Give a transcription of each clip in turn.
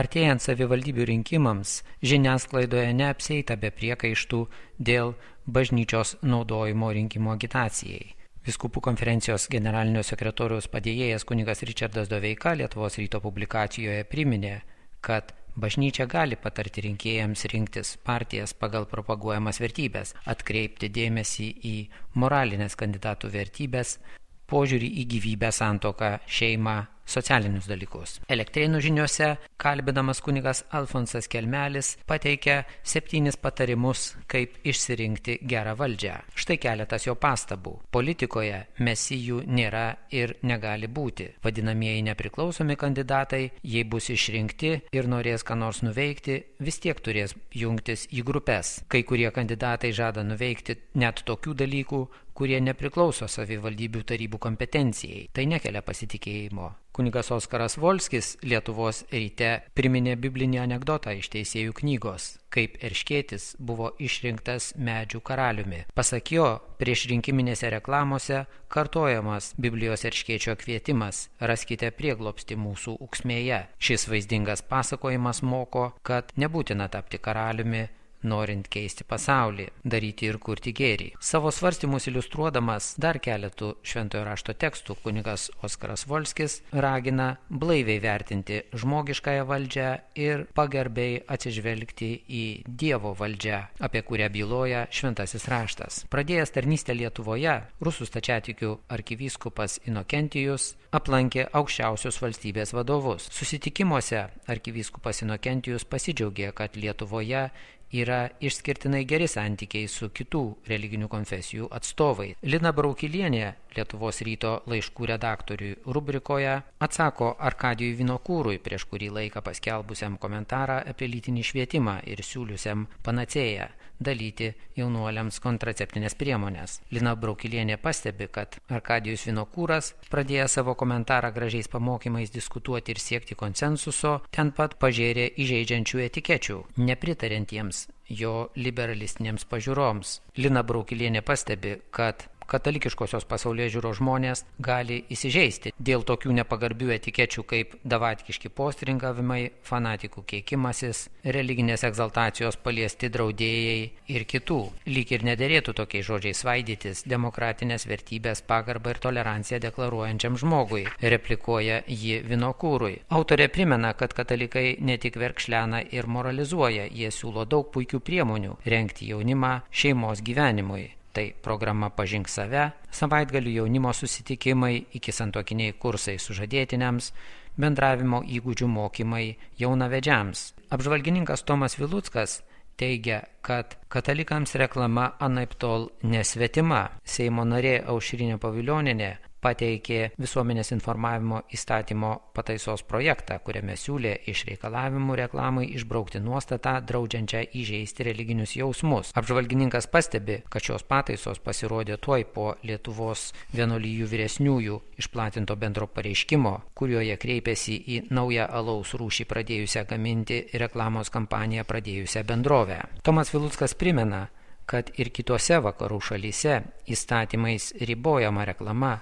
Artėjant savivaldybių rinkimams, žiniasklaidoje neapsieita be priekaištų dėl bažnyčios naudojimo rinkimų agitacijai. Vyskupų konferencijos generalinio sekretoriaus padėjėjas kunigas Ričardas Doveika Lietuvos ryto publikacijoje priminė, kad bažnyčia gali patarti rinkėjams rinktis partijas pagal propaguojamas vertybės, atkreipti dėmesį į moralinės kandidatų vertybės, požiūrį į gyvybę, santuoką, šeimą, socialinius dalykus. Elektrėnų žiniose kalbinamas kunigas Alfonsas Kelmelis pateikia 7 patarimus, kaip išsirinkti gerą valdžią. Štai keletas jo pastabų. Politikoje mesijų nėra ir negali būti. Vadinamieji nepriklausomi kandidatai, jei bus išrinkti ir norės ką nors nuveikti, vis tiek turės jungtis į grupės. Kai kurie kandidatai žada nuveikti net tokių dalykų, kurie nepriklauso savivaldybių tarybų kompetencijai. Tai nekelia pasitikėjimo. Kunigas Oskaras Volskis Lietuvos ryte priminė biblinį anekdotą iš Teisėjų knygos, kaip erškėtis buvo išrinktas medžių karaliumi. Pasak jo, prieš rinkiminėse reklamose kartojamas Biblijos erškėčio kvietimas: raskite prieglobstį mūsų ūksmėje. Šis vaizdingas pasakojimas moko, kad nebūtina tapti karaliumi, norint keisti pasaulį, daryti ir kurti gėrį. Savo svarstymus iliustruodamas dar keletų šventojo rašto tekstų, kunigas Oskaras Volskis ragina blaiviai vertinti žmogiškąją valdžią ir pagarbiai atsižvelgti į Dievo valdžią, apie kurią byloja šventasis raštas. Pradėjęs tarnystę Lietuvoje, rusų stačiatikių arkivyskupas Inokentijus aplankė aukščiausius valstybės vadovus. Susitikimuose arkivyskupas Inokentijus pasidžiaugė, kad Lietuvoje yra išskirtinai geri santykiai su kitų religinių konfesijų atstovai. Lina Braukilienė Lietuvos ryto laiškų redaktoriui rubrikoje atsako Arkadijui Vinokūrui prieš kurį laiką paskelbusiam komentarą apie lytinį švietimą ir siūliusiam panacėją dalyti jaunuoliams kontraceptinės priemonės. Lina Braukilienė pastebi, kad Arkadijus Vinokūras, pradėjęs savo komentarą gražiais pamokymais diskutuoti ir siekti konsensuso, ten pat pažėrė įžeidžiančių etikečių, nepritariantiems jo liberalistinėms pažiūroms. Lina Braukilienė pastebi, kad katalikiškosios pasaulėžiūros žmonės gali įsižeisti dėl tokių nepagarbių etikečių kaip davatkiški postringavimai, fanatikų keikimasis, religinės egzaltacijos paliesti draudėjai ir kitų. Lyg ir nederėtų tokiais žodžiais svaidytis demokratinės vertybės, pagarbą ir toleranciją deklaruojančiam žmogui, replikuoja ji Vinokūrui. Autorė primena, kad katalikai ne tik verkšlena ir moralizuoja, jie siūlo daug puikių priemonių rengti jaunimą šeimos gyvenimui. Tai programa Pažink save, savaitgalių jaunimo susitikimai, iki santuokiniai kursai sužadėtiniams, bendravimo įgūdžių mokymai jaunavedžiams. Apžvalgininkas Tomas Viluckas teigia, kad katalikams reklama anaiptol nesvetima. Seimo narė Aušrinė Pavilionienė pateikė visuomenės informavimo įstatymo pataisos projektą, kuriame siūlė iš reikalavimų reklamai išbraukti nuostatą draudžiančią įžeisti religinius jausmus. Apžvalgininkas pastebi, kad šios pataisos pasirodė tuoj po Lietuvos vienuolijų vyresniųjų išplatinto bendro pareiškimo, kurioje kreipėsi į naują alaus rūšį pradėjusią gaminti ir reklamos kampaniją pradėjusią bendrovę. Tomas Viluckas primena, kad ir kitose vakarų šalyse įstatymais ribojama reklama,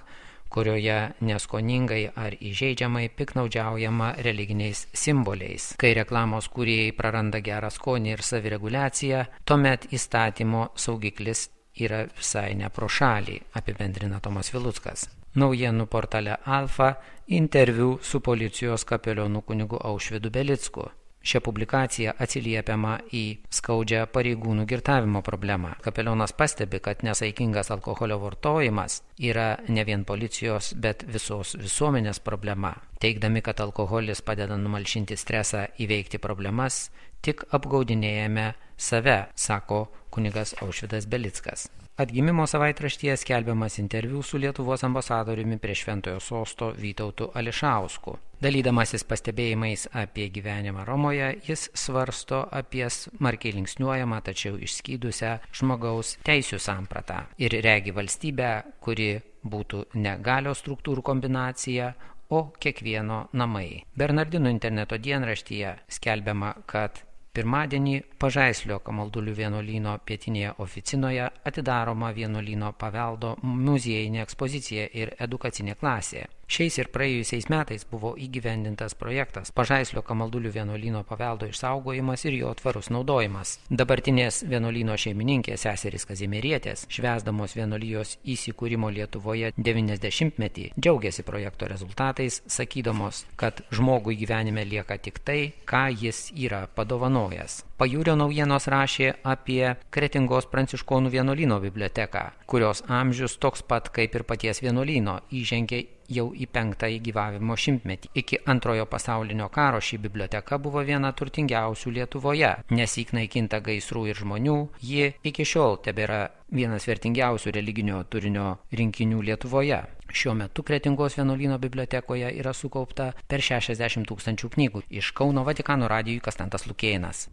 kurioje neskoningai ar įžeidžiamai piknaudžiaujama religiniais simboliais. Kai reklamos kūrėjai praranda gerą skonį ir savireguliaciją, tuomet įstatymo saugiklis yra visai ne pro šalį, apibendrina Tomas Viluckas. Naujienų portale Alfa interviu su policijos kapelionu kunigu Aušvydu Belicku. Šią publikaciją atsiliepiama į skaudžią pareigūnų girtavimo problemą. Kapelionas pastebi, kad nesaikingas alkoholio vartojimas yra ne vien policijos, bet visos visuomenės problema. Teigdami, kad alkoholis padeda numalšinti stresą, įveikti problemas, tik apgaudinėjame save, sako kunigas Aušvydas Belickas. Atgimimo savaitraštyje skelbiamas interviu su Lietuvos ambasadoriumi prie Šventojo sosto Vytautu Ališausku. Dalydamasis pastebėjimais apie gyvenimą Romoje, jis svarsto apie smarkiai linksniuojamą, tačiau išskydusią žmogaus teisių sampratą ir regi valstybę, kuri būtų ne galios struktūrų kombinacija, o kiekvieno namai. Bernardinų interneto dienraštyje skelbiama, kad Pirmadienį Pažaislio Kamaldulių vienuolyno pietinėje oficinoje atidaroma vienuolyno paveldo muziejinė ekspozicija ir edukacinė klasė. Šiais ir praėjusiais metais buvo įgyvendintas projektas Pažaislio Kamaldulių vienuolyno paveldo išsaugojimas ir jo tvarus naudojimas. Dabartinės vienuolyno šeimininkės seserys Kazimierietės, švęsdamos vienuolijos įsikūrimo Lietuvoje 90-metį, džiaugiasi projekto rezultatais, sakydamos, kad žmogui gyvenime lieka tik tai, ką jis yra padovanojęs. Pajūrio naujienos rašė apie Kretingos pranciškonų vienuolyno biblioteką, kurios amžius toks pat kaip ir paties vienuolyno, įžengė jau į 5. gyvavimo šimtmetį. Iki Antrojo pasaulinio karo ši biblioteka buvo viena turtingiausių Lietuvoje. Nesyk naikinta gaisrų ir žmonių, ji iki šiol tebėra vienas vertingiausių religinio turinio rinkinių Lietuvoje. Šiuo metu Kretingos vienuolyno bibliotekoje yra sukaupta per 60 000 knygų. Iš Kauno Vatikano radijui Konstantas Lukėnas.